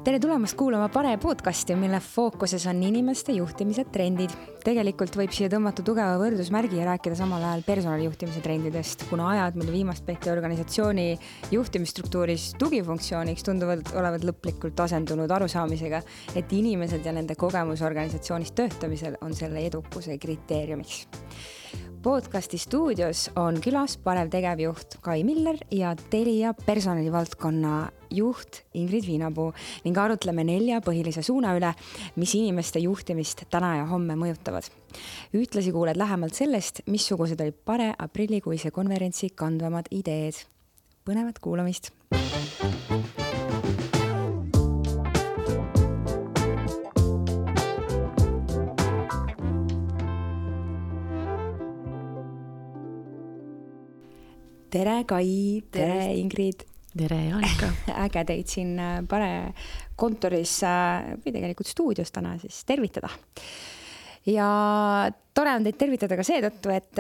Tere tulemast kuulama Pare podcasti, mille fookuses on inimeste juhtimise trendid. Tegelikult võib siia tõmmata tugeva võrdusmärgi ja rääkida samal ajal personalijuhtimise trendidest, kuna ajad, mille viimast peeti organisatsiooni juhtimisstruktuuris tugifunktsiooniks, tunduvad olevat lõplikult asendunud arusaamisega, et inimesed ja nende kogemus organisatsioonis töötamisel on selle edukuse kriteeriumiks. Podcasti stuudios on külas Parev tegevjuht Kai Miller ja Telia personalivaldkonna juht Ingrid Viinapuu ning arutleme 4 põhilise suuna üle, mis inimeste juhtimist täna ja homme mõjutavad. Ühtlasi kuuled lähemalt sellest, missugused olid Pare aprillikuise konverentsi kandvamad ideed. Põnevat kuulamist! Tere Kai, tere Ingrid. Tere Jaanika. Äge teid siin Pare kontoris või tegelikult stuudios täna siis tervitada. Ja tore on teid tervitada ka seetõttu, et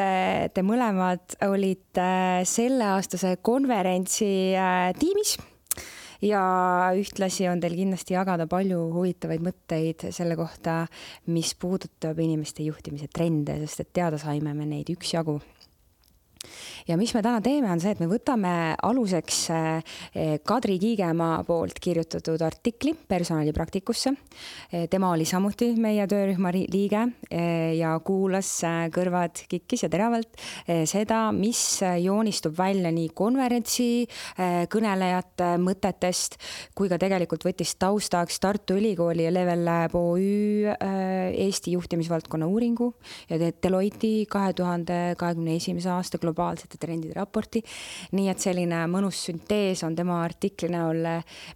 te mõlemad olite selleaastase konverentsi tiimis ja ühtlasi on teil kindlasti jagada palju huvitavaid mõtteid selle kohta, mis puudutab inimeste juhtimise trende, sest et teada saime me neid üksjagu. Ja mis me täna teeme on see, et me võtame aluseks Kadri Kiigemaa poolt kirjutatud artikli personalipraktikusse. Tema oli samuti meie töörühma liige ja kuulas kõrvad kikkis ja teravalt seda, mis joonistub välja nii konverentsi kõnelejate mõtetest, kui ka tegelikult võttis taustaks Tartu Ülikooli ja Level Lab OÜ Eesti juhtimisvaldkonna uuringu ja Deloitte 2021. aasta globaalsete trendide raporti. Nii et selline mõnus süntees on tema artikli näol,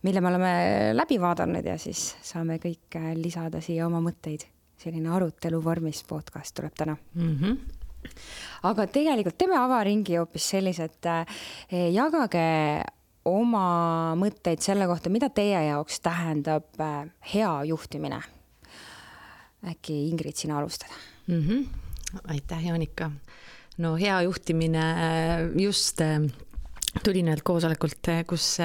mille me oleme läbi vaadanud ja siis saame kõik lisada siia oma mõtteid. Selline arutelu vormis podcast tuleb täna. Aga tegelikult teeme avaringi hoopis sellised, jagage oma mõtteid selle kohta, mida teie jaoks tähendab hea juhtimine. Äkki Ingrid sina alustada? Aitäh, Jaanika. No hea juhtimine just tuli näelt koosolekult, kus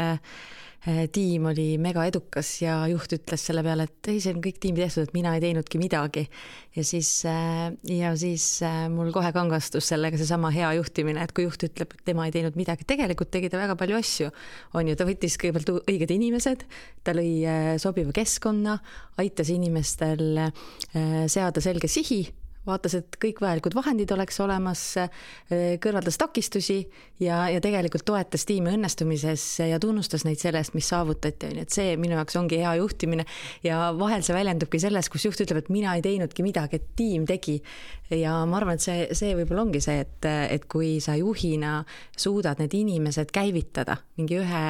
tiim oli mega edukas ja juht ütles selle peale, et ei, see on kõik tiimi tehtud, et mina ei teinudki midagi. Ja siis mul kohe kangastus sellega seesama hea juhtimine, et kui juht ütleb, et tema ei teinud midagi, tegelikult tegi ta väga palju asju. On ju, ta võttis kõigepealt õiged inimesed, ta lõi sobiva keskkonna, aitas inimestel seada selge sihi, vaatas, et kõik vajalikud vahendid oleks olemas, kõrvaldas takistusi ja tegelikult toetas tiimi õnnestumises ja tunnustas neid sellest, mis saavutati. Et see minu jaoks ongi hea juhtimine ja vahel see väljendubki selles, kus juht ütleb, et mina ei teinudki midagi, et tiim tegi. Ja ma arvan, et see võib-olla ongi see, et kui sa juhina suudad need inimesed käivitada mingi ühe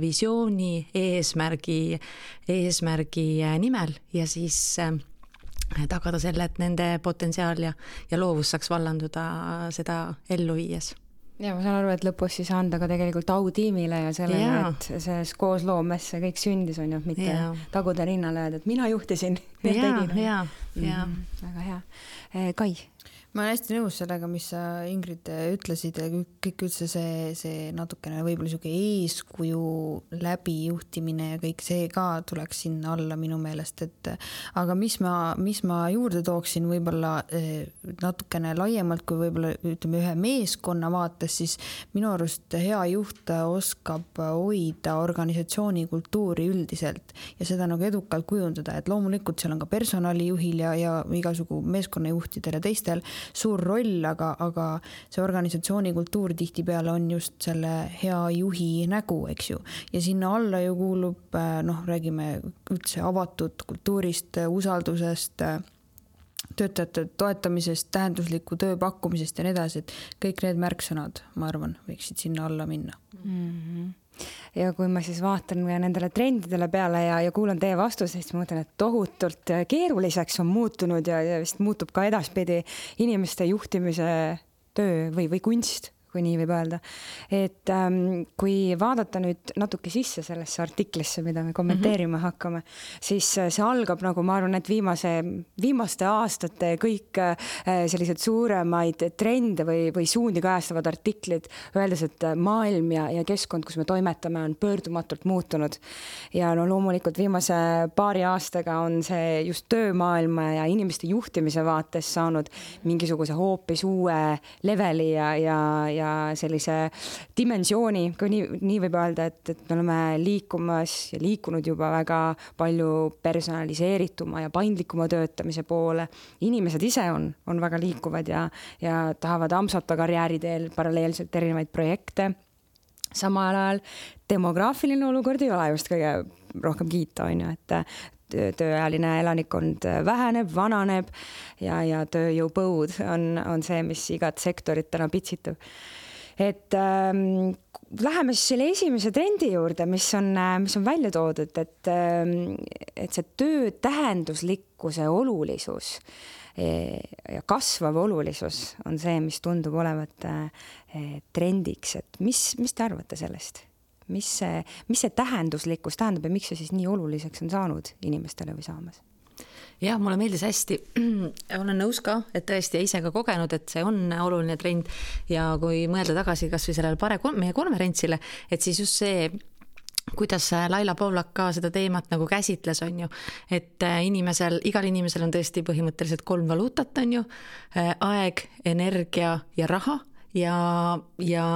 visiooni, eesmärgi nimel ja siis tagada selle, et nende potentsiaal ja loovus saaks vallanduda seda ellu viies. Ja ma saan aru, et lõpus siis anda ka tegelikult au tiimile ja sellele, et see koos loomes see kõik sündis on ju, mitte taguda rinnale öelda, et mina juhtisin. Ja. Väga hea. Kai? Ma olen hästi nõus sellega, mis sa Ingrid ütlesid ja kõik üldse see natukene võib-olla siuke eeskuju läbi juhtimine ja kõik see ka tuleks sinna alla minu meelest, et aga mis ma juurde tooksin võib-olla natukene laiemalt kui võib-olla ütleme ühe meeskonna vaates, siis minu arust hea juht oskab hoida organisatsiooni kultuuri üldiselt ja seda nagu edukalt kujundada, et loomulikult seal on ka personalijuhil ja igasugu meeskonnajuhtidel ja teistel suur roll, aga see organisatsiooni kultuur tihtipeale on just selle hea juhi nägu, eks ju. Ja sinna alla ju kuulub, räägime üldse avatud kultuurist, usaldusest, töötajate toetamisest, tähendusliku töö pakkumisest ja nii edasi, et kõik need märksõnad, ma arvan, võiksid sinna alla minna. Ja kui ma siis vaatan nendele trendidele peale ja kuulan teie vastuseid, siis ma mõtlen, et tohutult keeruliseks on muutunud ja vist muutub ka edaspidi inimeste juhtimise töö või kunst, kui nii võib öelda. Et kui vaadata nüüd natuke sisse sellesse artiklisse, mida me kommenteerima hakkame, siis see algab nagu ma arvan, et viimaste aastate kõik sellised suuremaid trende või suundi kajastavad artiklid, öeldes, et maailm ja keskkond, kus me toimetame, on pöördumatult muutunud. Ja no loomulikult viimase paari aastaga on see just töömaailma ja inimeste juhtimise vaates saanud mingisuguse hoopis uue leveli ja sellise dimensiooni, kui nii võib öelda, et me oleme liikumas ja liikunud juba väga palju personaliseerituma ja paindlikuma töötamise poole. Inimesed ise on väga liikuvad ja tahavad ampsata karjääri teel paralleelselt erinevaid projekte. Samal ajal demograafiline olukord ei ole just kõige rohkem kiita, on ju, et tööealine elanikkond väheneb, vananeb ja tööjõupõud on see, mis igat sektorit täna pitsitab. Et läheme siis selle esimese trendi juurde, mis on välja toodud, et see töö tähenduslikkuse olulisus ja kasvav olulisus on see, mis tundub olevat trendiks. Et mis te arvate sellest? Mis see tähenduslikkus tähendab ja miks see siis nii oluliseks on saanud inimestele või saamas? Ja, mulle meeldis hästi. Olen nõus ka, et tõesti ise ka kogenud, et see on oluline trend ja kui mõelda tagasi kas või sellele meie konverentsile, et siis just see, kuidas Laila Povlak ka seda teemat nagu käsitles, on ju, et igal inimesel on tõesti põhimõtteliselt 3 valuutat, on ju, aeg, energia ja raha. Ja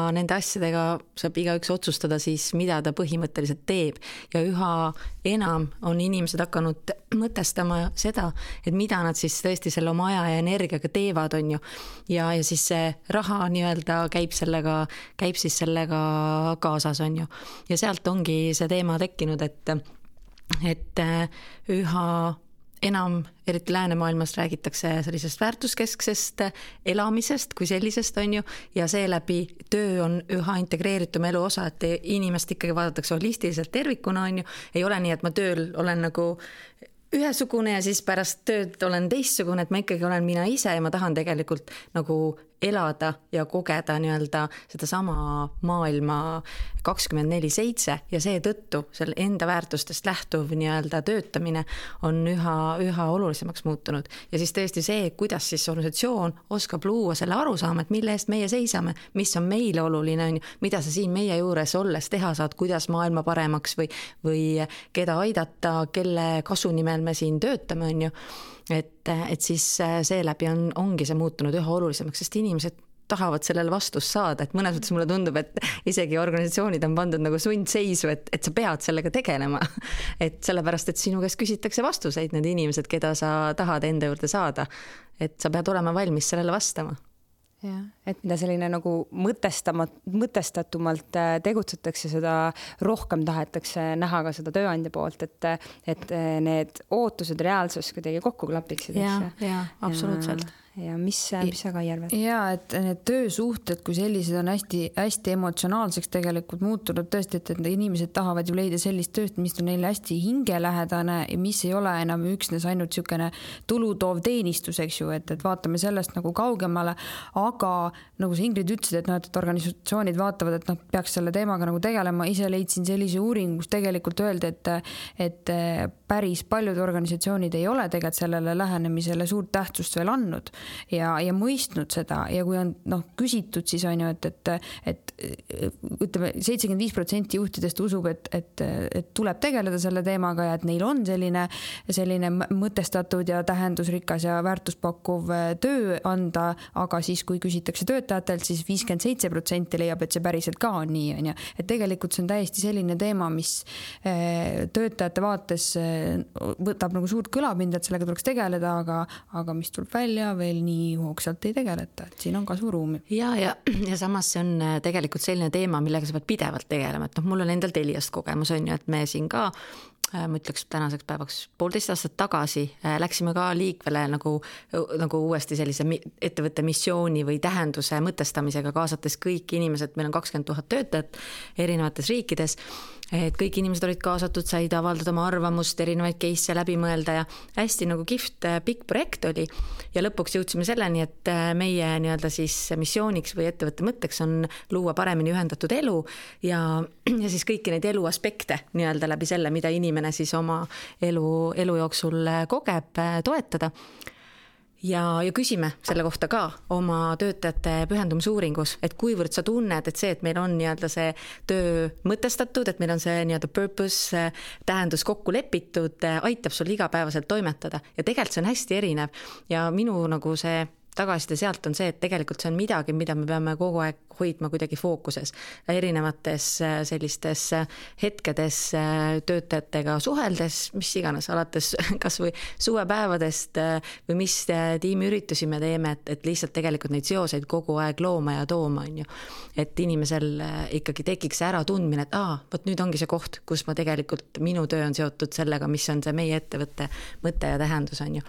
nende asjadega saab igaüks otsustada siis, mida ta põhimõtteliselt teeb. Ja üha enam on inimesed hakanud mõtestama seda, et mida nad siis tõesti selle oma aja ja energiaga teevad, on ju. Ja siis see raha nii-öelda käib siis sellega kaasas, on ju. Ja sealt ongi see teema tekkinud, et üha enam, eriti läänemaailmas räägitakse sellisest väärtuskesksest elamisest kui sellisest, on ju, ja seeläbi töö on üha integreeritum elu osa, et inimest ikkagi vaadatakse holistiliselt tervikuna, on ju, ei ole nii, et ma tööl olen nagu ühesugune ja siis pärast tööd olen teistsugune, et ma ikkagi olen mina ise ja ma tahan tegelikult nagu elada ja kogeda nii-öelda seda sama maailma 24/7 ja seetõttu selle enda väärtustest lähtuv nii-öelda töötamine on üha olulisemaks muutunud. Ja siis tõesti see, kuidas siis organisatsioon oskab luua selle arusaama, et mille eest meie seisame, mis on meile oluline, mida sa siin meie juures olles teha saad, kuidas maailma paremaks või keda aidata, kelle kasu nimel me siin töötame, on ju. Et siis seeläbi ongi see muutunud üha olulisemaks, sest inimesed tahavad sellele vastust saada, et mõnes mõttes mulle tundub, et isegi organisatsioonid on pandud nagu sundseisu, et sa pead sellega tegelema. Et sellepärast, et sinu käest küsitakse vastuseid need inimesed, keda sa tahad enda juurde saada, et sa pead olema valmis sellele vastama. Ja, et mida selline nagu mõtestatumalt tegutsetakse, seda rohkem tahetakse näha ka seda tööandja poolt, et need ootused reaalsus kuidagi kokku klapiksid. Ja, absoluutselt. Ja mis sa ka järvad? Ja, et need töösuhted kui sellised on hästi emotsionaalseks tegelikult muutunud tõesti, et inimesed tahavad ju leida sellist tööst, mis on neile hästi hingelähedane ja mis ei ole enam üksnes ainult niisugune tulutoov teenistus, eks ju, et vaatame sellest nagu kaugemale, aga nagu sa Ingrid ütlesid, et organisatsioonid vaatavad, et peaks selle teemaga nagu tegelema, ise leidsin sellise uuringu, kus tegelikult öeldi, et päris paljud organisatsioonid ei ole tegelikult sellele lähenemisele suurt tähtsust veel andnud ja mõistnud seda ja kui on küsitud, siis on ju, et ütleme 75% juhtidest usub, et tuleb tegeleda selle teemaga ja et neil on selline mõtestatud ja tähendusrikas ja väärtuspakkuv töö anda, aga siis kui küsitakse töötajatelt, siis 57% leiab, et see päriselt ka on nii, on ju. Et tegelikult see on täiesti selline teema, mis töötajate vaates võtab nagu suurt kõlapinda, et sellega tuleks tegeleda, aga mis tuleb välja veel nii hoogsalt ei tegeleta, et siin on kasvuruumi. Ja samas see on tegelikult selline teema, millega sa pead pidevalt tegelema, et mul on endal Teliast kogemus, on ju, et me siin ka ma ütleks tänaseks päevaks 1,5 aastat tagasi läksime ka liikvele nagu uuesti sellise ettevõtte missiooni või tähenduse mõtestamisega, kaasates kõik inimesed, meil on 20 000 töötajat erinevates riikides, et kõik inimesed olid kaasatud, said avaldada oma arvamust, erinevaid case'e läbi mõelda ja hästi nagu kihvt pikk projekt oli ja lõpuks jõudsime selleni, et meie nii-öelda siis missiooniks või ettevõtte mõtteks on luua paremini ühendatud elu ja siis kõiki neid elu aspekte nii-öelda läbi selle, mida inimene siis oma elu jooksul kogeb, toetada. Ja küsime selle kohta ka oma töötajate pühendumisuuringus, et kuivõrd sa tunned, et see, et meil on nii-öelda see töö mõtestatud, et meil on see nii-öelda purpose, tähendus kokku lepitud, aitab sul igapäevaselt toimetada ja tegelikult see on hästi erinev ja minu nagu see tagasiside sealt on see, et tegelikult see on midagi, mida me peame kogu aeg hoidma kuidagi fookuses erinevates sellistes hetkedes töötajatega suheldes, mis iganes, alates kas või suvepäevadest või mis tiimiüritusi me teeme, et lihtsalt tegelikult neid seoseid kogu aeg looma ja tooma, on ju. Et inimesel ikkagi tekiks ära tundmine, et võt nüüd ongi see koht, kus ma tegelikult, minu töö on seotud sellega, mis on see meie ettevõtte mõte ja tähendus, on ju.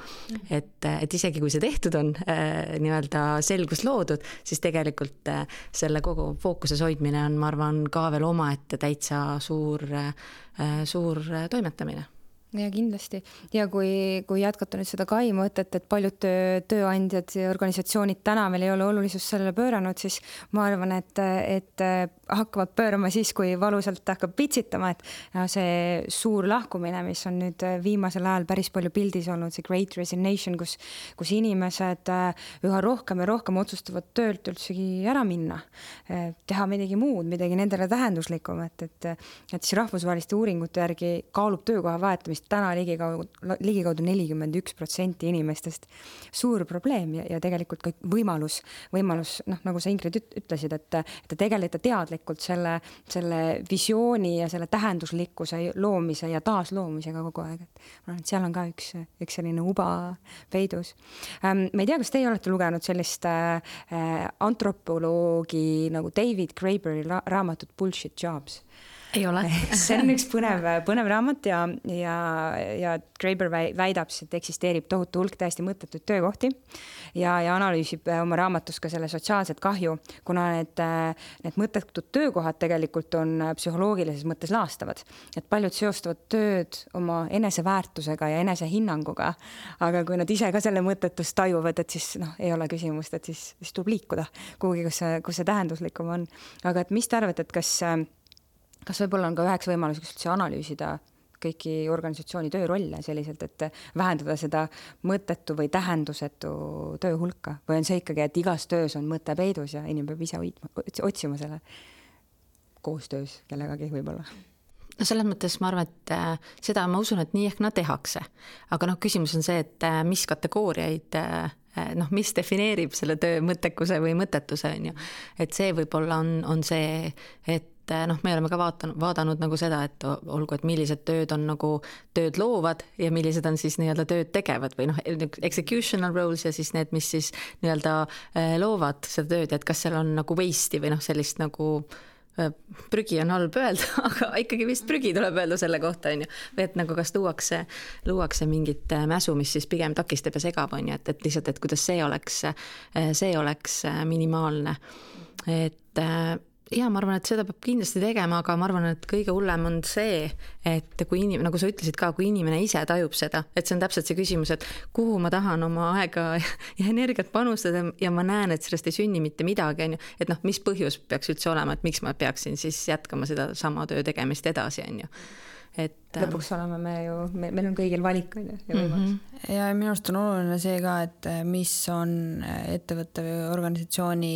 Et isegi kui see tehtud on, nii-öelda selgus loodud, siis tegelikult selle kogu fookuses hoidmine on, ma arvan, ka veel omaette täitsa suur toimetamine. Ja kindlasti. Ja kui jätkata nüüd seda Kai mõtet, et paljud tööandjad ja organisatsioonid täna meil ei ole olulisust sellele pööranud, siis ma arvan, et hakkavad pöörama siis, kui valusalt hakkab pitsitama, et see suur lahkumine, mis on nüüd viimasel ajal päris palju pildis olnud, see Great Resignation, kus inimesed üha rohkem ja rohkem otsustavad töölt üldsegi ära minna, teha midagi muud, midagi nendele tähenduslikum, et siis rahvusvaheliste uuringute järgi kaalub töökoha vahetamist täna ligikaudu 41% inimestest. Suur probleem ja tegelikult ka võimalus, nagu sa Ingrid ütlesid, et te tegelete teadlikult selle visiooni ja selle tähenduslikkuse loomise ja taasloomisega kogu aeg. Et seal on ka üks selline uba peidus. Ma ei tea, kas teie olete lugenud sellist antropoloogi nagu David Graeberi raamatut Bullshit Jobs? Ei ole. See on üks põnev raamat ja Graeber väidab, et eksisteerib tohutu hulk täiesti mõttetuid töökohti ja analüüsib oma raamatus ka selle sotsiaalset kahju, kuna need mõttetud töökohad tegelikult on psühholoogilises mõttes laastavad. Et paljud seostavad tööd oma eneseväärtusega ja enesehinnanguga, aga kui nad ise ka selle mõttetust tajuvad, et siis ei ole küsimust, et siis tuleb liikuda kuhugi, kus see tähenduslikum on. Aga et mis te arvate, et kas võib-olla on ka üheks võimaluseks üldse analüüsida kõiki organisatsiooni töörolle selliselt, et vähendada seda mõttetu või tähendusetu töö hulka? Või on see ikkagi, et igas töös on mõte peidus ja inimene peab ise otsima selle koostöös kellegagi võib-olla? No selles mõttes ma arvan, et seda ma usun, et nii ehk nad tehakse. Aga küsimus on see, et mis kategooriaid, mis defineerib selle töö mõttekuse või mõttetuse, on ju. Et see võib-olla on see, et me oleme ka vaadanud nagu seda, et olgu, et millised tööd on nagu tööd loovad ja millised on siis nii-öelda tööd tegevad või executional roles ja siis need, mis siis nii-öelda loovad seda tööd, et kas seal on nagu waste'i või sellist nagu prügi on halb öelda, aga ikkagi vist prügi tuleb öelda selle kohta, on ju. Või et nagu kas luuakse mingit mäsu, mis siis pigem takistab ja segab, on ju, et lihtsalt, et kuidas see oleks minimaalne. Et ja ma arvan, et seda peab kindlasti tegema, aga ma arvan, et kõige hullem on see, et kui nagu sa ütlesid ka, kui inimene ise tajub seda, et see on täpselt see küsimus, et kuhu ma tahan oma aega ja energiat panustada ja ma näen, et sellest ei sünni mitte midagi, on ju. Et mis põhjus peaks üldse olema, et miks ma peaksin siis jätkama seda sama töö tegemist edasi, on ju. Et lõpuks oleme meil on kõigil valik ja võimalus. Ja minu arust on oluline see ka, et mis on ettevõtte või organisatsiooni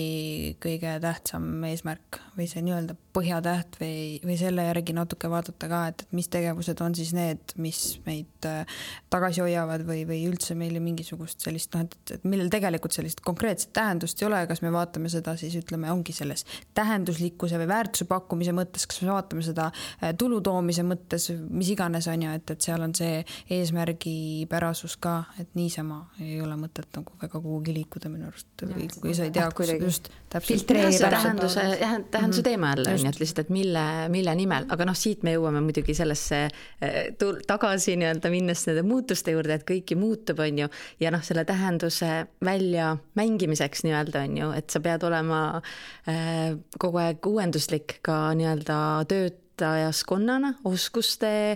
kõige tähtsam eesmärk või see nii-öelda põhjatäht või selle järgi natuke vaadata ka, et mis tegevused on siis need, mis meid tagasi hoiavad või üldse meile mingisugust sellist, et millel tegelikult sellist konkreetset tähendust ei ole, kas me vaatame seda siis ütleme, ongi selles tähenduslikkuse või väärtuse pakkumise mõttes, kas me vaatame seda tulu toomise mõttes, mis mis iganes on ju, et seal on see eesmärgipärasus ka, et niisama ei ole mõtet nagu väga kuhugi liikuda minu arust, kui sa ei tea, kus just filtreerida tähenduse teema jälle on, et lihtsalt, et mille nimel, aga siit me jõuame muidugi sellesse tagasi nii-öelda minnes nende muutuste juurde, et kõiki muutub, on ju, ja selle tähenduse välja mängimiseks nii-öelda on ju, et sa pead olema kogu aeg uuenduslik ka nii-öelda töötajaskonnana, oskuste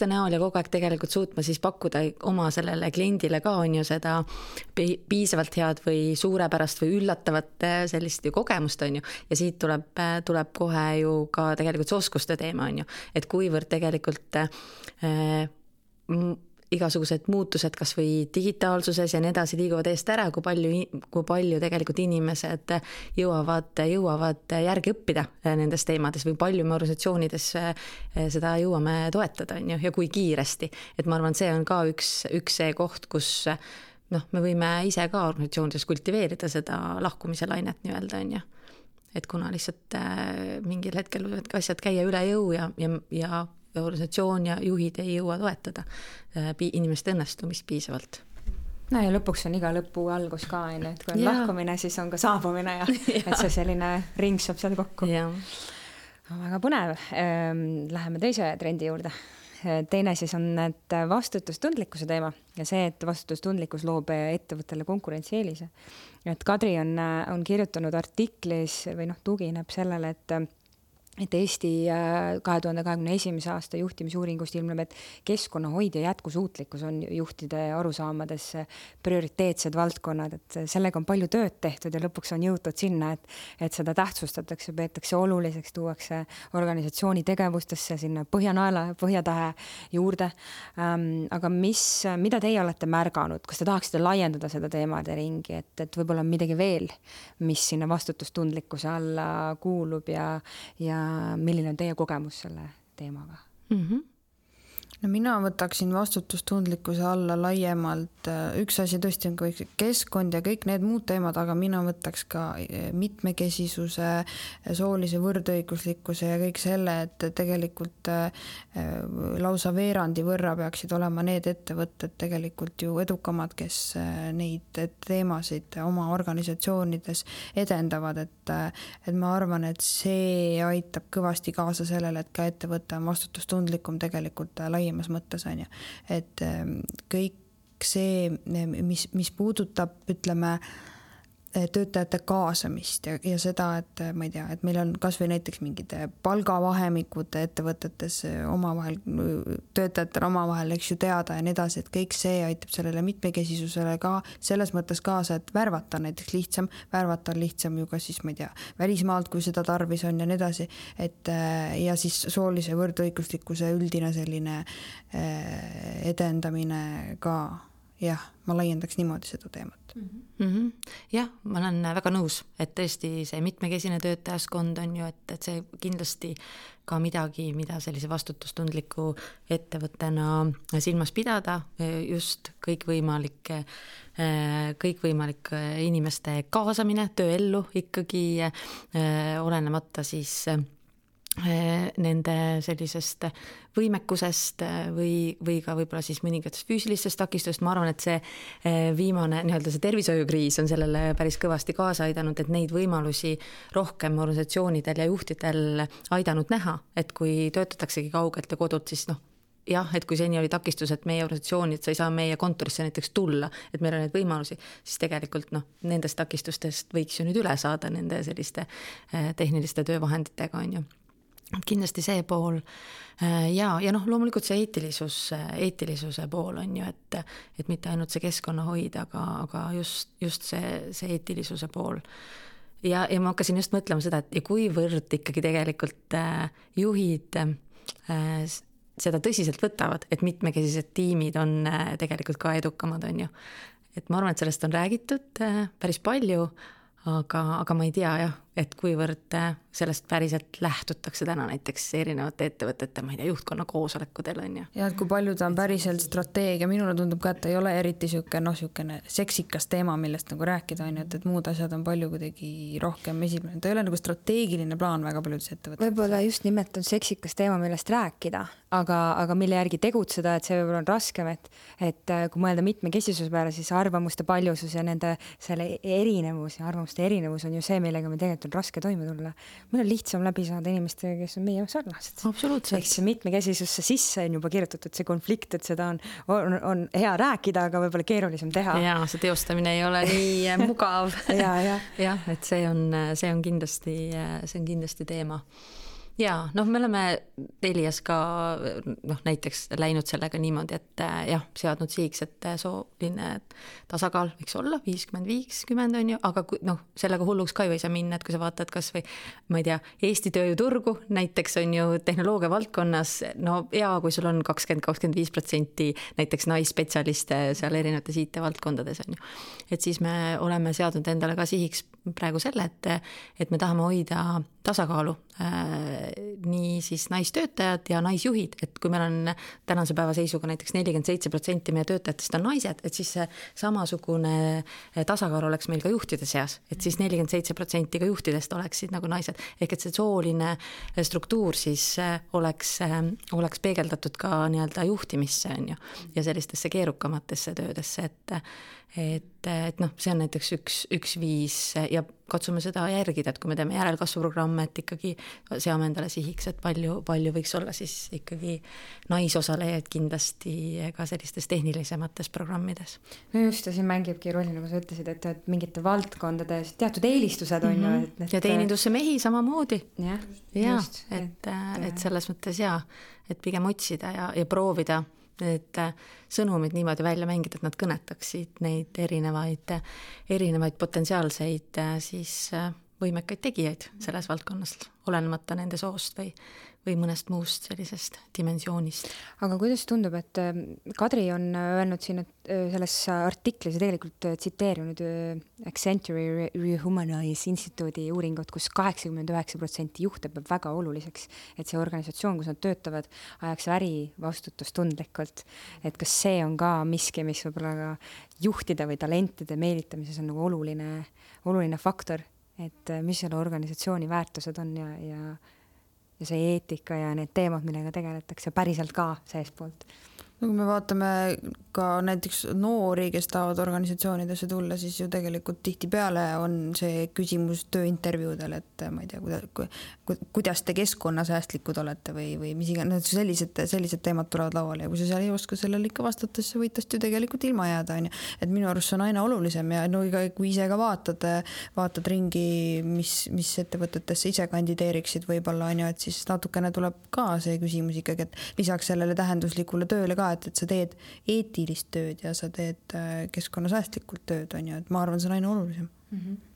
näol ja kogu aeg tegelikult suutma siis pakkuda oma sellele kliendile ka on ju seda piisavalt head või suurepärast või üllatavat sellist ju kogemust on ju, ja siit tuleb kohe ju ka tegelikult see oskuste teema on ju, et kuivõrd tegelikult igasugused muutused kas või digitaalsuses ja nii edasi liiguvad eest ära, kui palju tegelikult inimesed jõuavad järgi õppida nendes teemades või palju me organisatsioonides seda jõuame toetada on ju, ja kui kiiresti. Et ma arvan, see on ka üks see koht, kus me võime ise ka organisatsioonides kultiveerida seda lahkumise lainet nii-öelda on ju. Et kuna lihtsalt mingil hetkel võivad asjad käia üle jõu ja organisatsioon ja juhid ei jõua toetada inimeste õnnestumist piisavalt. No ja lõpuks on iga lõpu algus ka, et kui on lahkumine, siis on ka saabumine ja et see selline ring saab seal kokku. Väga põnev. Läheme teise trendi juurde. Teine siis on et vastutustundlikkuse teema ja see, et vastutustundlikkus loob ettevõttele konkurentsieelise. Et Kadri on kirjutanud artiklis või tugineb sellele, et Eesti 2021. aasta juhtimisuuringust ilmneb, et keskkonnahoid ja jätkusuutlikkus on juhtide arusaamades prioriteetsed valdkonnad, et sellega on palju tööd tehtud ja lõpuks on jõutud sinna, et seda tähtsustatakse, peetakse oluliseks, tuuakse organisatsiooni tegevustesse sinna põhjanaela, põhjatahe juurde. Aga mida teie olete märganud, kas te tahaksite laiendada seda teemade ringi, et võib-olla on midagi veel, mis sinna vastutustundlikkuse alla kuulub ja milline on teie kogemus selle teemaga? No mina võtaksin vastutustundlikkuse alla laiemalt. Üks asi tõesti on kõik keskkond ja kõik need muud teemad, aga mina võtaks ka mitmekesisuse, soolise võrdõiguslikkuse ja kõik selle, et tegelikult lausa veerandi võrra peaksid olema need ettevõtted tegelikult ju edukamad, kes neid teemasid oma organisatsioonides edendavad, et ma arvan, et see aitab kõvasti kaasa sellele, et ka ettevõte on vastutustundlikum tegelikult laiemas mõttes on ju, et kõik see, mis puudutab, ütleme, töötajate kaasamist ja seda, et ma ei tea, et meil on kas või näiteks mingid palgavahemikud ettevõtetes omavahel, töötajatel omavahel, eks ju teada ja nii edasi, et kõik see aitab sellele mitmekesisusele ka selles mõttes kaasa, et värvata näiteks lihtsam, värvata on lihtsam ju ka siis, ma ei tea, välismaalt, kui seda tarvis on ja nii edasi, et ja siis soolise võrdõiguslikkuse üldine selline edendamine ka. Jah, ma laiendaks niimoodi seda teemat. Jah, ma olen väga nõus, et tõesti see mitmekesine töötajaskond on ju, et see kindlasti ka midagi, mida sellise vastutustundliku ettevõttena silmas pidada, just kõikvõimalik inimeste kaasamine tööellu ikkagi olenemata siis nende sellisest võimekusest või ka võib-olla siis mõningatest füüsilistest takistust. Ma arvan, et see viimane nii-öelda see tervishoiukriis on sellele päris kõvasti kaasa aidanud, et neid võimalusi rohkem organisatsioonidel ja juhtidel aidanud näha, et kui töötataksegi kaugelt ja kodult, siis jah, et kui seni oli takistus, et meie organisatsioonid, sa ei saa meie kontorisse näiteks tulla, et meil on neid võimalusi, siis tegelikult nendest takistustest võiks ju nüüd üle saada nende selliste tehniliste töövahenditega on ju. Kindlasti see pool ja loomulikult see eetilisuse pool on ju, et mitte ainult see keskkonnahoid, aga just see eetilisuse pool. Ja ma hakkasin just mõtlema seda, et kuivõrd ikkagi tegelikult juhid seda tõsiselt võtavad, et mitmekesised tiimid on tegelikult ka edukamad on ju. Et ma arvan, et sellest on räägitud päris palju, aga ma ei tea jah, et kuivõrd sellest päriselt lähtutakse täna näiteks erinevate ettevõtete, ma ei tea, juhtkonna koosolekudel on ju. Ja et kui palju ta on päriselt strateegia, minule tundub ka, et ta ei ole eriti siukene seksikas teema, millest nagu rääkida on ju, et muud asjad on palju kuidagi rohkem esiplaan. Ta ei ole nagu strateegiline plaan väga paljudes ettevõtetes. Võib-olla just nimelt on seksikas teema, millest rääkida, aga mille järgi tegutseda, et see võib-olla on raskem, et kui mõelda mitmekesisuse peale, siis arvamuste paljusus ja nende selle erinevus ja arvamuste erinevus on ju see, millega me tegelikult on raske toime tulla. Meil on lihtsam läbi saada inimestega, kes on meie sarnased. Absoluutselt. Ehk see mitmekesisusse sisse on juba kirjutatud see konflikt, et seda on hea rääkida, aga võib-olla keerulisem teha. Ja see teostamine ei ole nii mugav. ja, et see on kindlasti teema. Ja me oleme Telias ka näiteks läinud sellega niimoodi, et seadnud sihiks, et sooline tasakaal võiks olla 50-50 on ju, aga sellega hulluks ka ju ei saa minna, et kui sa vaatad kas või, ma ei tea, Eesti tööjõuturgu näiteks on ju tehnoloogia valdkonnas, kui sul on 20-25% näiteks naisspetsialiste seal erinevates IT-valdkondades on ju, et siis me oleme seadnud endale ka sihiks praegu selle, et me tahame hoida tasakaalu nii siis naistöötajad ja naisjuhid, et kui meil on tänase päeva seisuga näiteks 47% meie töötajatest on naised, et siis see samasugune tasakaal oleks meil ka juhtide seas, et siis 47% ka juhtidest oleksid nagu naised, ehk et see sooline struktuur siis oleks peegeldatud ka nii-öelda juhtimisse on ju, ja sellistesse keerukamatesse töödesse, et see on näiteks üks viis ja katsume seda järgida, et kui me teeme järelkasvuprogramme, et ikkagi seame endale sihiks, et palju võiks olla siis ikkagi naisosalejaid kindlasti ka sellistes tehnilisemates programmides. No just, ja siin mängibki rolli, nagu sa ütlesid, et mingite valdkondade teatud eelistused on ju. Ja teenindusse mehi samamoodi. Just. Et selles mõttes et pigem otsida ja proovida et sõnumid niimoodi välja mängida, et nad kõnetaksid neid erinevaid potentsiaalseid siis võimekaid tegijaid selles valdkonnas, olenemata nende soost või mõnest muust sellisest dimensioonist. Aga kuidas tundub, et Kadri on öelnud siin, et selles artiklis ja tegelikult tsiteerinud Accenture Rehumanize instituudi uuringut, kus 89% juhte peab väga oluliseks, et see organisatsioon, kus nad töötavad, ajaks äri vastutustundlikult. Et kas see on ka miski, mis võib-olla ka juhtide või talentide meelitamises on nagu oluline faktor, et mis selle organisatsiooni väärtused on ja see eetika ja need teemad, millega tegeletakse päriselt ka seespoolt. No kui me vaatame ka näiteks noori, kes tahavad organisatsioonidesse tulla, siis ju tegelikult tihtipeale on see küsimus tööintervjuudel, et ma ei tea, kuidas te keskkonnasäästlikud olete või mis iganes, sellised teemad tulevad lauale ja kui sa seal ei oska sellele ikka vastata, siis võid tast ju tegelikult ilma jääda. Et minu arust see on aina olulisem ja kui ise ka vaatad ringi, mis ettevõtetesse ise kandideeriksid võib-olla, et siis natukene tuleb ka see küsimus ikkagi, et lisaks sellele tähenduslikule tööle ka, et sa teed eetilist tööd ja sa teed keskkonnasäästlikult tööd, on ju, et ma arvan, see on aina olulisem.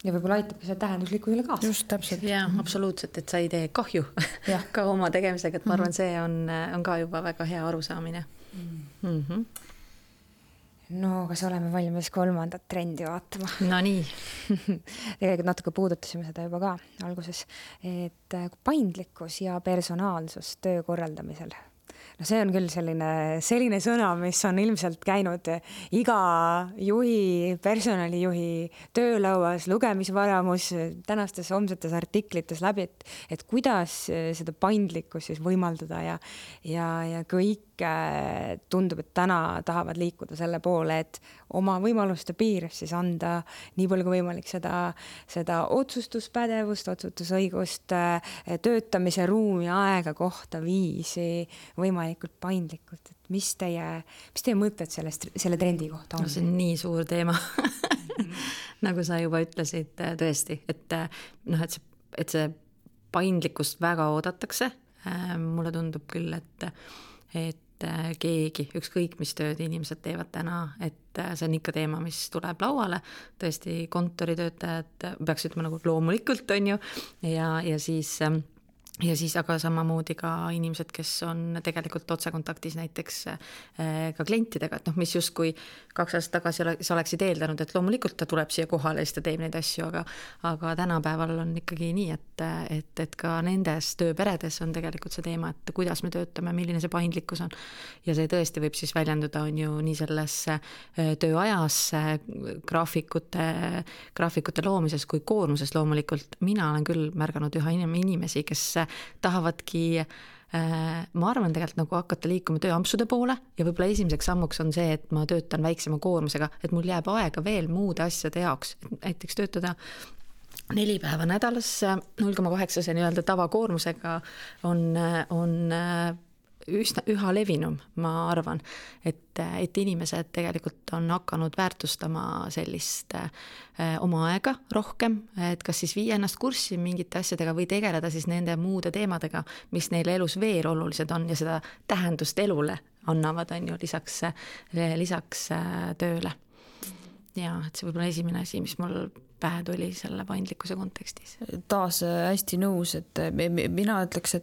Ja võib-olla aitab ka see tähenduslikkusele kaasa. Just, täpselt. Ja, absoluutselt, et sa ei tee kahju ka oma tegemisega, et ma arvan, see on ka juba väga hea arusaamine. No, kas oleme valmis 3. trendi vaatama? No nii. Tegelikult natuke puudutasime seda juba ka alguses, et paindlikkus ja personaalsus töö korraldamisel. No see on küll selline sõna, mis on ilmselt käinud iga juhi, personalijuhi töölauas, lugemisvaramus, tänastes homsetes artiklites läbi, et kuidas seda paindlikkust siis võimaldada ja kõik tundub, et täna tahavad liikuda selle poole, et oma võimaluste piires siis anda nii palju kui võimalik seda otsustuspädevust, otsustusõigust, töötamise ruumi, aega, kohta, viisi võimalikult paindlikult. Et mis teie mõtted selle trendi kohta on? No, see on nii suur teema. Nagu sa juba ütlesid, tõesti, et see paindlikkust väga oodatakse. Mulle tundub küll, et keegi, ükskõik mis tööd inimesed teevad täna, et see on ikka teema, mis tuleb lauale. Tõesti kontoritöötajad peaks ütlema nagu loomulikult on ju ja siis ja siis aga samamoodi ka inimesed, kes on tegelikult otsekontaktis näiteks ka klientidega, et mis justkui 2 aastat tagasi sa oleksid eeldanud, et loomulikult ta tuleb siia kohale ja siis ta teeb neid asju, aga tänapäeval on ikkagi nii, et ka nendes tööperedes on tegelikult see teema, et kuidas me töötame, milline see paindlikkus on. Ja see tõesti võib siis väljenduda on ju nii selles tööajas, graafikute loomises kui koormuses loomulikult. Mina olen küll märganud üha inimesi, kes tahavadki, ma arvan tegelikult nagu hakata liikuma tööampsude poole ja võib-olla esimeseks sammuks on see, et ma töötan väiksema koormusega, et mul jääb aega veel muude asjade jaoks, näiteks töötada 4 päeva nädalas 0,8 nii-öelda tavakoormusega on üha levinum, ma arvan, et inimesed tegelikult on hakanud väärtustama sellist oma aega rohkem, et kas siis viia ennast kurssi mingite asjadega või tegeleda siis nende muude teemadega, mis neile elus veel olulised on ja seda tähendust elule annavad, on ju, lisaks tööle. Ja et see võib-olla esimene asi, mis mul pähe tuli selle paindlikkuse kontekstis. Taas hästi nõus, et mina ütleks,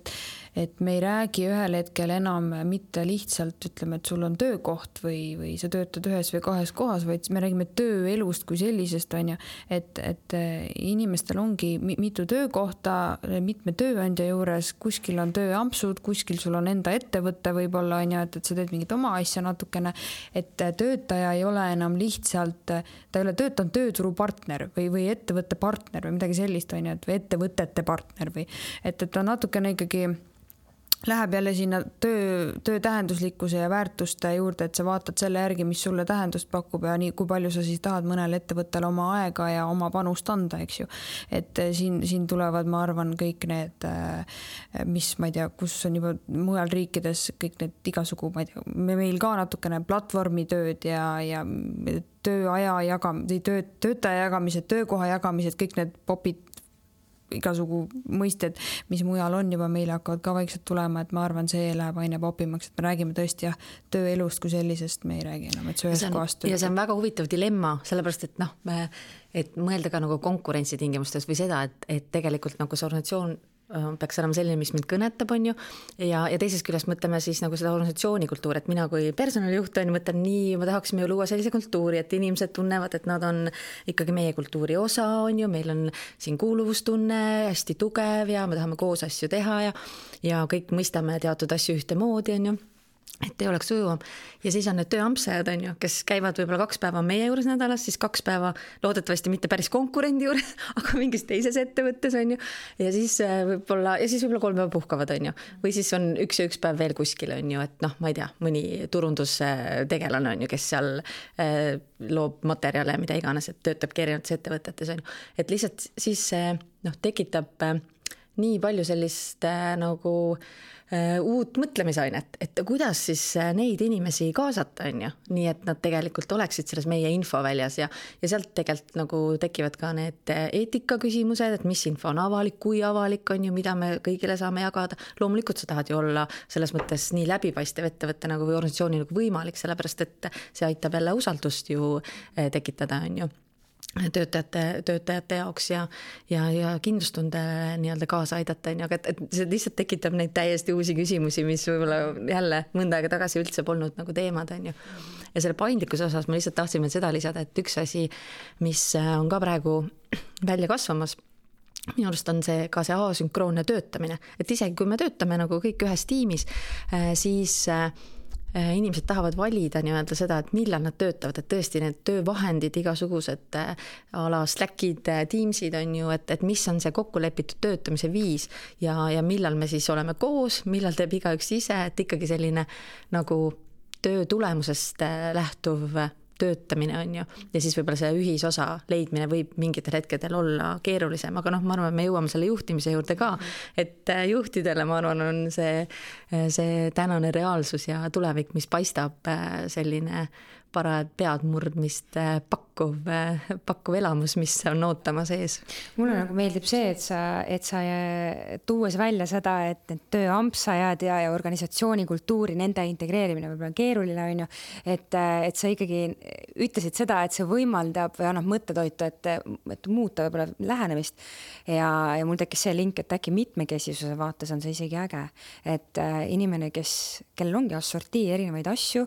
et me ei räägi ühel hetkel enam mitte lihtsalt ütleme, et sul on töökoht või sa töötad 1 või 2 kohas, vaid me räägime tööelust kui sellisest, on ju, et inimestel ongi mitu töökohta, mitme tööandja juures, kuskil on tööampsud, kuskil sul on enda ettevõtte võib-olla, on ju, et sa teed mingit oma asja natukene, et töötaja ei ole enam lihtsalt, ta ei ole töötanud tööturupartner või ettevõtte partner või midagi sellist, on ju, et või ettevõtete partner või et ta natukene ikkagi läheb jälle sinna töö tähenduslikkuse ja väärtuste juurde, et sa vaatad selle järgi, mis sulle tähendust pakub ja nii, kui palju sa siis tahad mõnele ettevõttele oma aega ja oma panust anda, eks ju. Et siin tulevad, ma arvan, kõik need, mis ma ei tea, kus on juba mujal riikides kõik need igasugu, ma ei tea, meil ka natukene platvormitööd ja tööaja töötaja jagamised, töökoha jagamised, kõik need popid, igasugu mõisted, mis mujal on juba meile hakkavad ka vaikselt tulema, et ma arvan, see läheb aina popimaks, et me räägime tõesti tööelust kui sellisest, me ei räägi enam, et see ühes kohast. Ja see on väga huvitav dilemma, sellepärast, et mõelda ka nagu konkurentsitingimustes või seda, et tegelikult nagu see organisatsioon peaks olema selline, mis mind kõnetab, on ju, ja teisest küljest mõtleme siis nagu seda organisatsiooni kultuuri, et mina kui personalijuht on, mõtlen nii, ma tahaksime ju luua sellise kultuuri, et inimesed tunnevad, et nad on ikkagi meie kultuuri osa, on ju, meil on siin kuuluvustunne hästi tugev ja me tahame koos asju teha ja kõik mõistame teatud asju ühtemoodi, on ju, et ei oleks ujuvam. Ja siis on need tööampsajad, on ju, kes käivad võib-olla 2 päeva meie juures nädalas, siis 2 päeva loodetavasti mitte päris konkurendi juures, aga mingis teises ettevõttes, on ju. Ja siis võib-olla 3 päeva puhkavad, on ju. Või siis on 1 päev veel kuskil, on ju, et ma ei tea, mõni turundustegelane on ju, kes seal loob materjale, mida iganes, et töötab erinevates ettevõtetes, on ju. Et lihtsalt siis tekitab nii palju sellist nagu uut mõtlemisainet, et kuidas siis neid inimesi kaasata, on ju, nii et nad tegelikult oleksid selles meie infoväljas ja sealt tegelikult nagu tekivad ka need eetikaküsimused, et mis info on avalik, kui avalik on ju, mida me kõigile saame jagada. Loomulikult sa tahad ju olla selles mõttes nii läbipaistev ettevõtte nagu või organisatsiooni nagu võimalik, sellepärast et see aitab jälle usaldust ju tekitada, on ju. Töötajate jaoks ja kindlustunde nii-öelda kaasa aidata, aga et see lihtsalt tekitab neid täiesti uusi küsimusi, mis võib-olla jälle mõnda aega tagasi üldse polnud nagu teemad, on ju. Ja selle paindlikkuse osas ma lihtsalt tahtsin seda lisada, et üks asi, mis on ka praegu välja kasvamas, minu arust on see ka see asünkroonne töötamine, et isegi kui me töötame nagu kõik ühes tiimis, siis inimesed tahavad valida nii-öelda seda, et millal nad töötavad, et tõesti need töövahendid, igasugused ala Slackid, Teamsid on ju, et mis on see kokkulepitud töötamise viis ja millal me siis oleme koos, millal teeb igaüks ise, et ikkagi selline nagu töö tulemusest lähtuv töötamine on ju, ja siis võib-olla see ühisosa leidmine võib mingitel hetkedel olla keerulisem, aga ma arvan, et me jõuame selle juhtimise juurde ka, et juhtidele, ma arvan, on see tänane reaalsus ja tulevik, mis paistab selline parajad peadmurdmist pakkuv elamus, mis on ootama sees. Mulle nagu meeldib see, et sa tuues välja seda, et need tööampsajad ja organisatsiooni kultuuri, nende integreerimine võib-olla keeruline on ju, et sa ikkagi ütlesid seda, et see võimaldab või annab mõttetoitu, et muuta võib-olla lähenemist ja mul tekkis see link, et äkki mitmekesisuse vaates on see isegi äge, et inimene, kellel ongi assortii erinevaid asju,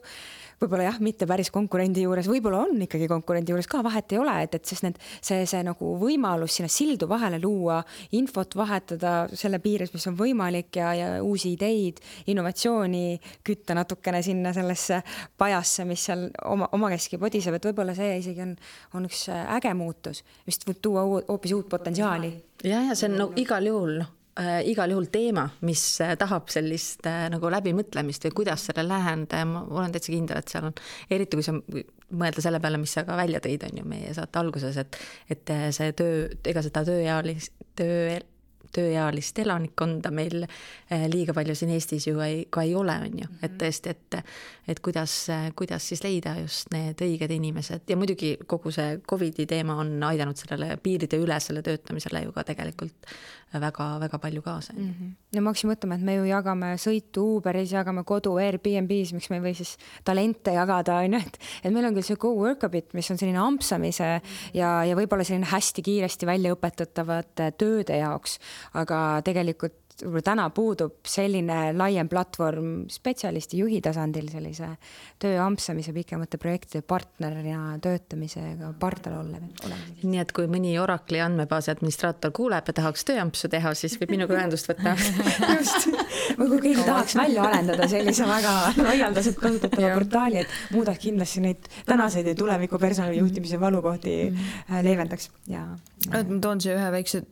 võib-olla jah, mitte päris konkurendi juures, võib-olla on ikkagi konkurendi juures ka, vahet ei ole, et sest see nagu võimalus sinna sildu vahele luua, infot vahetada selle piires, mis on võimalik ja uusi ideid, innovatsiooni kütta natukene sinna sellesse pajasse, mis seal omakeski podiseb, et võib-olla see isegi on üks äge muutus, mis võib tuua hoopis uut potentsiaali. Ja see on igal juhul teema, mis tahab sellist nagu läbimõtlemist või kuidas selle läheneda ja ma olen täitsa kindel, et seal on, eriti kui sa mõelda selle peale, mis sa ka välja tõid, on ju meie saate alguses, et see ega seda tööealist elanikkonda meil liiga palju siin Eestis ju ka ei ole, on ju, et tõesti, et kuidas siis leida just need õiged inimesed ja muidugi kogu see COVID-i teema on aidanud sellele piiride ülesele töötamisele ju ka tegelikult väga palju kaasa. Ja ma hakkasin mõtlema, et me ju jagame sõitu Uberis, jagame kodu Airbnb's, miks me ei või siis talente jagada, on ju, et meil on küll see GoWorkabit, mis on selline ampsamise ja võib-olla selline hästi kiiresti välja õpetatavate tööde jaoks, aga tegelikult täna puudub selline laiem platvorm spetsialisti juhi tasandil sellise töö ampsamise pikemate projektide partnerina töötamisega partner olema. Nii et kui mõni Oracle'i andmebaasi administraator kuuleb ja tahaks tööampsu teha, siis võib minuga ühendust võtta. Just. Või kui keegi tahaks välja arendada sellise väga laialdaselt kasutatava portaali, et muudaks kindlasti neid tänaseid ja tuleviku personalijuhtimise valukohti leevendaks. Ma toon see ühe väikse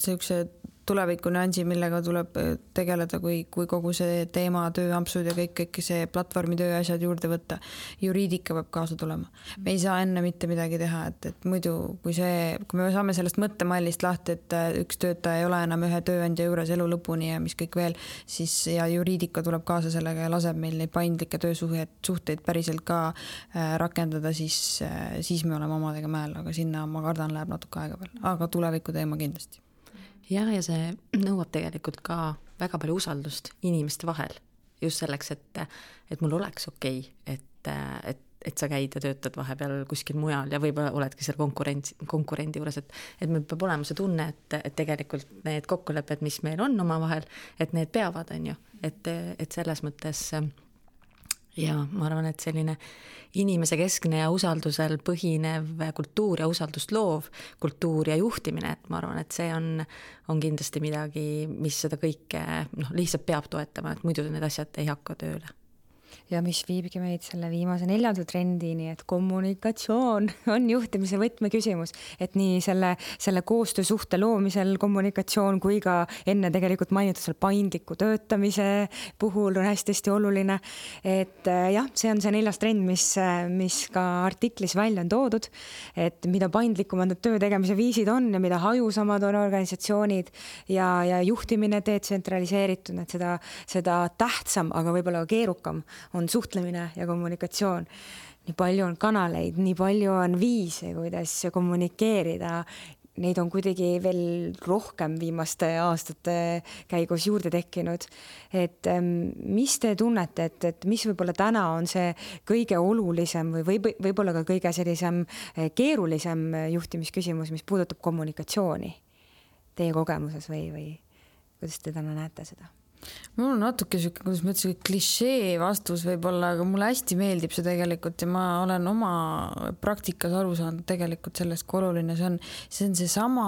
tuleviku nüansi, millega tuleb tegeleda, kui kogu see teema, tööampsud ja kõik see platvormi tööasjad juurde võtta. Juriidika peab kaasa tulema. Me ei saa enne mitte midagi teha, et muidu, kui me saame sellest mõttemallist lahti, et üks töötaja ei ole enam ühe tööandja juures elu lõpuni ja mis kõik veel, siis ja juriidika tuleb kaasa sellega ja laseb meil neid paindlikke töösuhteid päriselt ka rakendada, siis me oleme omadega mäel, aga sinna ma kardan läheb natuke aega veel, aga tuleviku teema kindlasti. Ja see nõuab tegelikult ka väga palju usaldust inimeste vahel. Just selleks, et mul oleks okei, et sa käid ja töötad vahepeal kuskil mujal ja võib-olla oledki seal konkurendi juures, et meil peab olema see tunne, et tegelikult need kokkulepped, mis meil on oma vahel, et need peavad, on ju. Et selles mõttes ja ma arvan, et selline inimese keskne ja usaldusel põhinev kultuur ja usaldust loov kultuur ja juhtimine, et ma arvan, et see on kindlasti midagi, mis seda kõike lihtsalt peab toetama, et muidu need asjad ei hakka tööle. Ja mis viibki meid selle viimase 4. trendini, et kommunikatsioon on juhtimise võtmeküsimus, et nii selle koostöösuhte loomisel kommunikatsioon kui ka enne tegelikult mainitud seal paindliku töötamise puhul on hästi oluline, et jah, see on see 4. trend, mis ka artiklis välja on toodud, et mida paindlikumad need töö tegemise viisid on ja mida hajusamad on organisatsioonid ja juhtimine detsentraliseeritud, et seda tähtsam, aga võib-olla keerukam on suhtlemine ja kommunikatsioon. Nii palju on kanaleid, nii palju on viise, kuidas kommunikeerida. Neid on kuidagi veel rohkem viimaste aastate käigus juurde tekkinud. Et mis te tunnete, et mis võib-olla täna on see kõige olulisem või võib-olla ka kõige sellisem keerulisem juhtimisküsimus, mis puudutab kommunikatsiooni teie kogemuses või kuidas te täna näete seda? Mul on natuke siuke, kuidas ma ütlesin, klišee vastus võib-olla, aga mulle hästi meeldib see tegelikult ja ma olen oma praktikas aru saanud tegelikult sellest, kui oluline see on seesama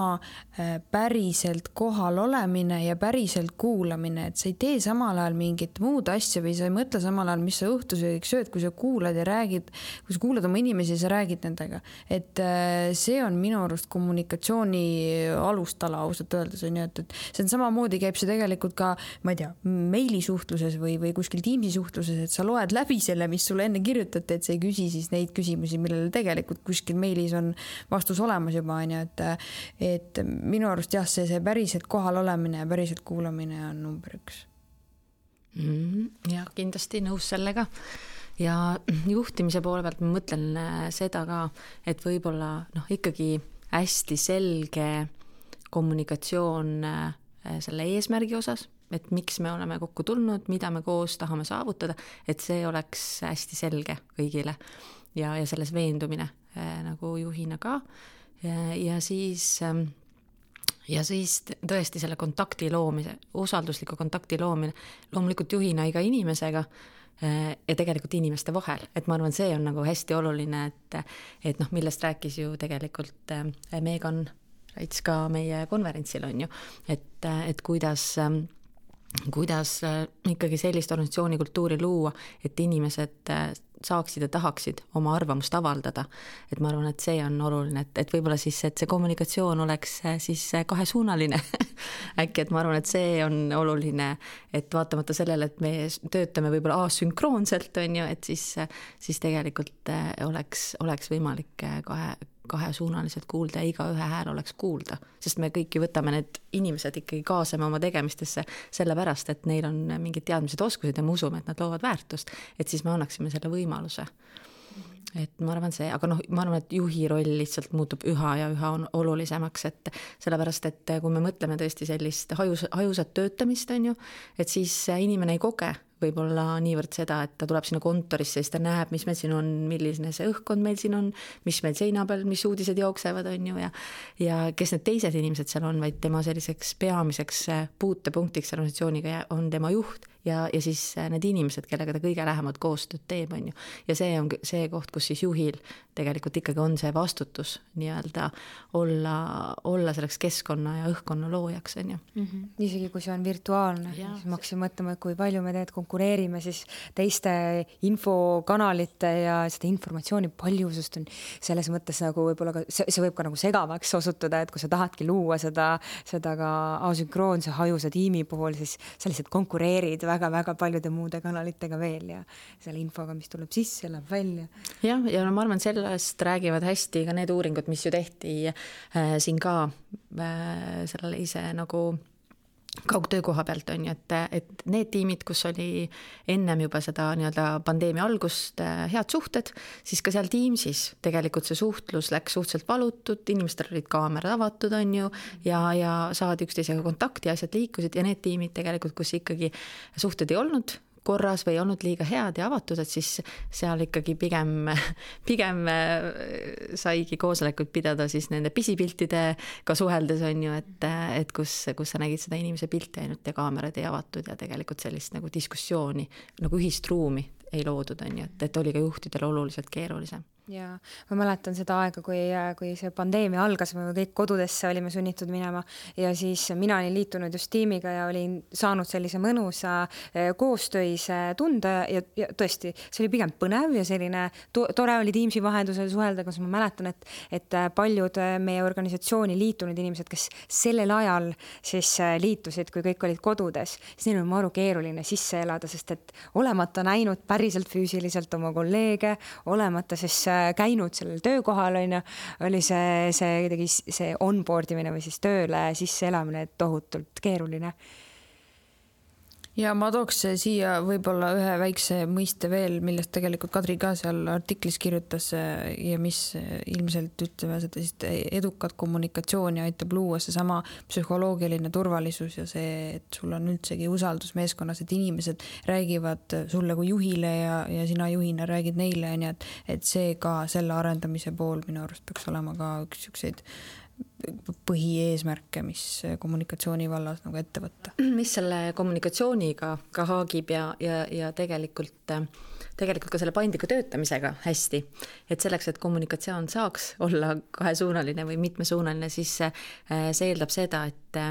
päriselt kohal olemine ja päriselt kuulamine, et sa ei tee samal ajal mingit muud asja või sa ei mõtle samal ajal, mis sa õhtusöögiks sööd, kui sa kuulad ja räägid, kui sa kuulad oma inimesi ja sa räägid nendega. Et see on minu arust kommunikatsiooni alustala ausalt öeldes, on ju, et see on samamoodi käib see tegelikult ka, ma ei tea, meilisuhtluses või kuskil Teamsi suhtluses, et sa loed läbi selle, mis sulle enne kirjutati, et sa ei küsi siis neid küsimusi, millele tegelikult kuskil meilis on vastus olemas juba, on ju, et minu arust jah, see päriselt kohal olemine ja päriselt kuulamine on number 1. Ja kindlasti nõus sellega. ja juhtimise poole pealt ma mõtlen seda ka, et võib-olla ikkagi hästi selge kommunikatsioon selle eesmärgi osas, et miks me oleme kokku tulnud, mida me koos tahame saavutada, et see oleks hästi selge kõigile ja selles veendumine nagu juhina ka ja siis tõesti selle kontakti loomise, usaldusliku kontakti loomine, loomulikult juhina iga inimesega ja tegelikult inimeste vahel, et ma arvan, see on nagu hästi oluline, et millest rääkis ju tegelikult Megan Raits ka meie konverentsil on ju, et kuidas ikkagi sellist organisatsiooni kultuuri luua, et inimesed saaksid ja tahaksid oma arvamust avaldada. Et ma arvan, et see on oluline, et võib-olla siis, et see kommunikatsioon oleks siis kahesuunaline. Äkki, et ma arvan, et see on oluline, et vaatamata sellele, et me töötame võib-olla asünkroonselt, on ju, et siis tegelikult oleks võimalik kahesuunaliselt kuulda ja iga ühe hääl oleks kuulda, sest me kõik ju võtame need inimesed ikkagi kaasame oma tegemistesse sellepärast, et neil on mingid teadmised, oskused ja me usume, et nad loovad väärtust, et siis me annaksime selle võimaluse. Et ma arvan see, aga ma arvan, et juhi roll lihtsalt muutub üha ja üha olulisemaks, et sellepärast, et kui me mõtleme tõesti sellist hajusat töötamist, on ju, et siis inimene ei koge võib-olla niivõrd seda, et ta tuleb sinna kontorisse, siis ta näeb, mis meil siin on, milline see õhkkond meil siin on, mis meil seina peal, mis uudised jooksevad, on ju, ja kes need teised inimesed seal on, vaid tema selliseks peamiseks puutepunktiks organisatsiooniga on tema juht ja siis need inimesed, kellega ta kõige lähemalt koostööd teeb, on ju. Ja see on see koht, kus siis juhil tegelikult ikkagi on see vastutus nii-öelda olla selleks keskkonna ja õhkkonna loojaks, on ju. Isegi kui see on virtuaalne, siis ma hakkasin mõtlema, kui palju me konkureerime siis teiste infokanalite ja seda informatsiooni paljusust on selles mõttes nagu võib-olla ka, see võib ka nagu segavaks osutuda, et kui sa tahadki luua seda ka asünkroonse hajusa tiimi puhul, siis sa lihtsalt konkureerid väga-väga paljude muude kanalitega veel ja selle infoga, mis tuleb sisse, läheb välja. Ja ma arvan, sellest räägivad hästi ka need uuringud, mis ju tehti siin ka sellele ise nagu kaugtöö koha pealt on ju, et need tiimid, kus oli ennem juba seda nii-öelda pandeemia algust head suhted, siis ka seal Teamsis tegelikult see suhtlus läks suhteliselt valutud, inimestel olid kaamerad avatud on ju ja saadi üksteisega kontakti, asjad liikusid ja need tiimid tegelikult, kus ikkagi suhted ei olnud korras või olnud liiga head ja avatud, et siis seal ikkagi pigem saigi koosolekuid pidada siis nende pisipiltidega suheldes on ju, et kus sa nägid seda inimese pilti ainult ja kaamerad ei avatud ja tegelikult sellist nagu diskussiooni, nagu ühist ruumi ei loodud on ju, et oli ka juhtidel oluliselt keerulisem. Ja ma mäletan seda aega, kui see pandeemia algas, me kõik kodudesse olime sunnitud minema ja siis mina olin liitunud just tiimiga ja olin saanud sellise mõnusa koostöise tunde ja tõesti, see oli pigem põnev ja selline tore oli Teamsi vahendusel suhelda, kus ma mäletan, et paljud meie organisatsiooni liitunud inimesed, kes sellel ajal siis liitusid, kui kõik olid kodudes, siis neil on maru keeruline sisse elada, sest et olemata näinud päriselt füüsiliselt oma kolleege, olemata siis käinud sellel töökohal oli see onboard imine või siis tööle sisse elamine tohutult keeruline. Ja ma tooks siia võib-olla ühe väikse mõiste veel, millest tegelikult Kadri ka seal artiklis kirjutas ja mis ilmselt ütleme seda siis edukat kommunikatsiooni aitab luua see sama psühholoogiline turvalisus ja see, et sul on üldsegi usaldus meeskonnas, et inimesed räägivad sulle kui juhile ja sina juhina räägid neile, et see ka selle arendamise pool minu arust peaks olema ka üks ükseid põhieesmärke, mis kommunikatsiooni vallas nagu ette võtta. Mis selle kommunikatsiooniga ka haagib ja tegelikult ka selle paindliku töötamisega hästi, et selleks, et kommunikatsioon saaks olla kahesuunaline või mitmesuunaline, siis see eeldab seda, et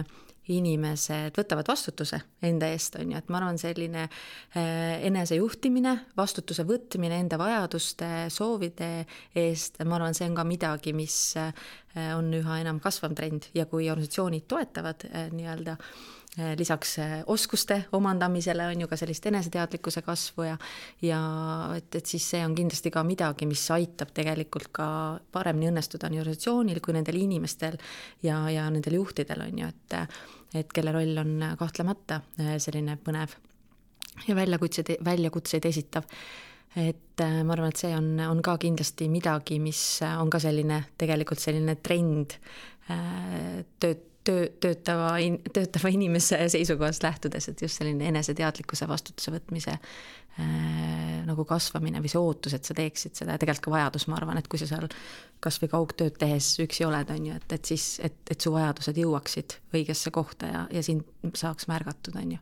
inimesed võtavad vastutuse enda eest, on ju, et ma arvan selline enesejuhtimine, vastutuse võtmine enda vajaduste, soovide eest, ma arvan, see on ka midagi, mis on üha enam kasvav trend ja kui organisatsioonid toetavad nii-öelda lisaks oskuste omandamisele on ju ka sellist eneseteadlikkuse kasvu ja et siis see on kindlasti ka midagi, mis aitab tegelikult ka paremini õnnestuda nii organisatsioonil kui nendel inimestel ja nendel juhtidel on ju, et kelle roll on kahtlemata selline põnev ja väljakutseid esitav. et ma arvan, et see on ka kindlasti midagi, mis on ka selline tegelikult selline trend töötava inimese seisukohast lähtudes, et just selline eneseteadlikkuse vastutuse võtmise nagu kasvamine või see ootus, et sa teeksid seda ja tegelikult ka vajadus, ma arvan, et kui sa seal kas või kaugtööd tehes üksi oled, on ju, et siis, et su vajadused jõuaksid õigesse kohta ja sind saaks märgatud, on ju.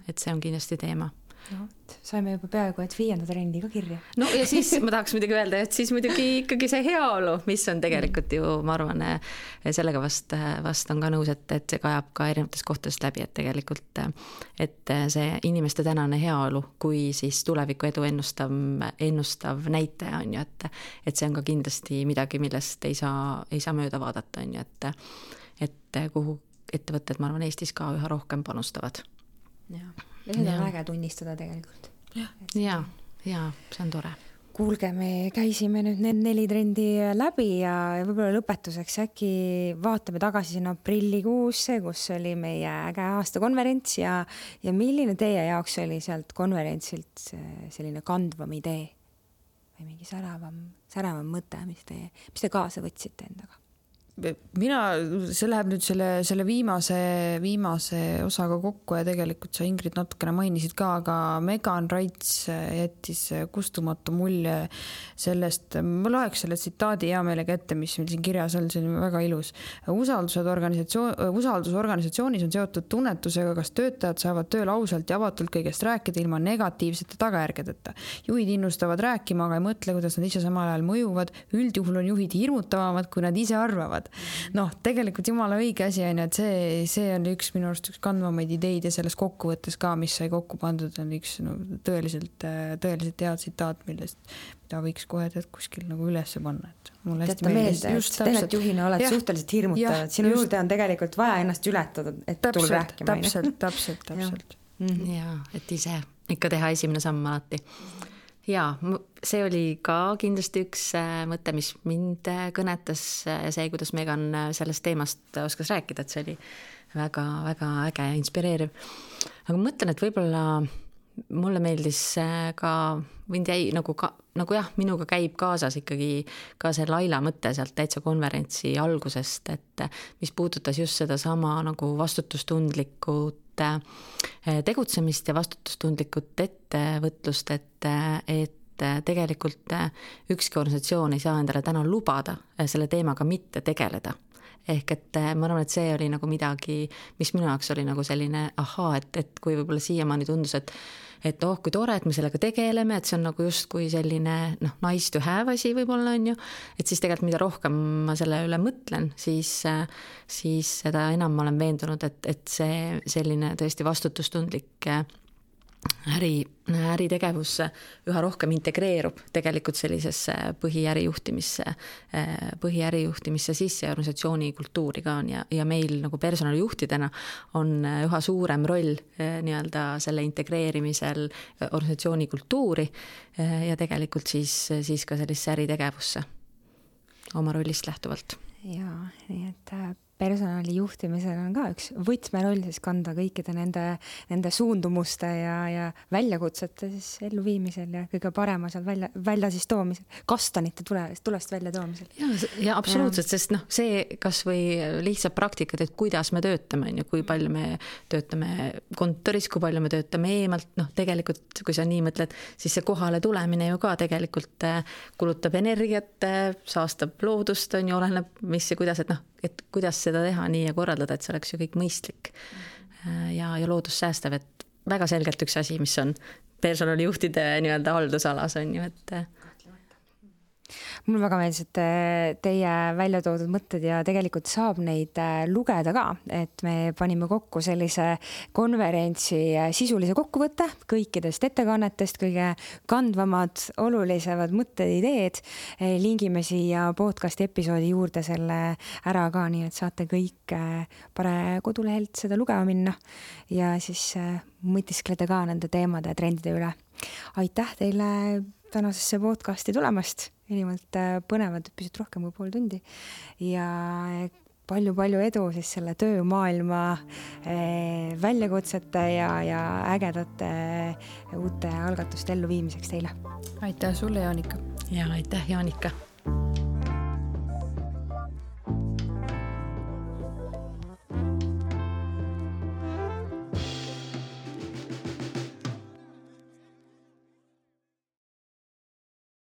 Et see on kindlasti teema. No, saime juba peaaegu, et 5. trendi ka kirja. No ja siis ma tahaks muidugi öelda, et siis muidugi ikkagi see heaolu, mis on tegelikult ju, ma arvan, sellega vast on ka nõus, et see kajab ka erinevatest kohtadest läbi, et tegelikult, et see inimeste tänane heaolu, kui siis tuleviku edu ennustav näitaja on ju, et see on ka kindlasti midagi, millest ei saa mööda vaadata, on ju, et kuhu ettevõtted, ma arvan, Eestis ka üha rohkem panustavad. Ja seda on äge tunnistada tegelikult. Ja, see on tore. Kuulge, me käisime nüüd need 4 trendi läbi ja võib-olla lõpetuseks äkki vaatame tagasi sinna aprillikuusse, kus oli meie äge aastakonverents ja milline teie jaoks oli sealt konverentsilt selline kandvam idee või mingi säravam mõte, mis te kaasa võtsite endaga? See läheb nüüd selle viimase osaga kokku ja tegelikult sa, Ingrid, natukene mainisid ka, aga Megan Raits jättis kustumatu mulje sellest, ma loeks selle tsitaadi hea meelega ette, mis meil siin kirjas on, see on väga ilus. Usaldus organisatsioonis on seotud tunnetusega, kas töötajad saavad tööl ausalt ja avatult kõigest rääkida ilma negatiivsete tagajärgedeta. Juhid innustavad rääkima, aga ei mõtle, kuidas nad ise samal ajal mõjuvad. Üldjuhul on juhid hirmutavamad, kui nad ise arvavad. Noh, tegelikult jumala õige asi on, et see on üks minu arust üks kandvamaid ideid ja selles kokkuvõttes ka, mis sai kokku pandud, on üks tõeliselt hea tsitaat, mida võiks kohe kuskil nagu üles panna. Jätta meelde, et tegelikult juhina oled suhteliselt hirmutavad. Sinu juurde on tegelikult vaja ennast ületada, et tulla rääkima. Täpselt. Ja, et ise ikka teha esimene samm alati. Ja, see oli ka kindlasti üks mõte, mis mind kõnetas ja see, kuidas Megan sellest teemast oskas rääkida, et see oli väga, väga äge ja inspireeriv. Aga ma mõtlen, et võib-olla mulle meeldis ka, mind jäi nagu jah, minuga käib kaasas ikkagi ka see Laila mõte sealt täitsa konverentsi algusest, et mis puudutas just seda sama nagu vastutustundlikud tegutsemist ja vastutustundlikud ettevõtlust, et tegelikult ükski organisatsioon ei saa endale täna lubada selle teemaga mitte tegeleda. Ehk et ma arvan, et see oli nagu midagi, mis minu jaoks oli nagu selline et kui võib-olla siiamaani tundus, et kui tore, et me sellega tegeleme, et see on nagu just kui selline nice to have asi võib-olla on ju, et siis tegelikult mida rohkem ma selle üle mõtlen, siis seda enam ma olen veendunud, et see selline tõesti vastutustundlik äritegevus üha rohkem integreerub tegelikult sellisesse põhiärijuhtimisse sisse ja organisatsiooni kultuuri ka on ja meil nagu personalijuhtidena on üha suurem roll nii-öelda selle integreerimisel organisatsiooni kultuuri ja tegelikult siis ka sellisse äritegevusse oma rollist lähtuvalt. Ja, nii et personalijuhtimisel on ka üks võtmeroll siis kanda kõikide nende suundumuste ja väljakutsete siis elluviimisel ja kõige parema seal välja siis toomisel, kastanite tulest välja toomisel. Ja absoluutselt, sest see kas või lihtsalt praktikad, et kuidas me töötame, kui palju me töötame kontoris, kui palju me töötame eemalt, tegelikult kui sa nii mõtled, siis see kohale tulemine ju ka tegelikult kulutab energiat, saastab loodust, on ju, oleneb mis ja kuidas, et kuidas seda teha nii ja korraldada, et see oleks ju kõik mõistlik ja loodus säästav, et väga selgelt üks asi, mis on personalijuhtide nii-öelda haldusalas on ju, et Mul väga meeldis, et teie välja toodud mõtted ja tegelikult saab neid lugeda ka, et me panime kokku sellise konverentsi sisulise kokkuvõtte kõikidest ettekannetest, kõige kandvamad, olulisemad mõtted, ideed. Lingime siia podcasti episoodi juurde selle ära ka, nii et saate kõik Pare kodulehelt seda lugema minna ja siis mõtiskleda ka nende teemade ja trendide üle. Aitäh teile tänasesse podcasti tulemast. Inimalt põnevad pisut rohkem kui pool tundi ja palju-palju edu siis selle töömaailma väljakutsete ja ägedate uute algatuste elluviimiseks teile. Aitäh sulle, Jaanika. Ja aitäh, Jaanika.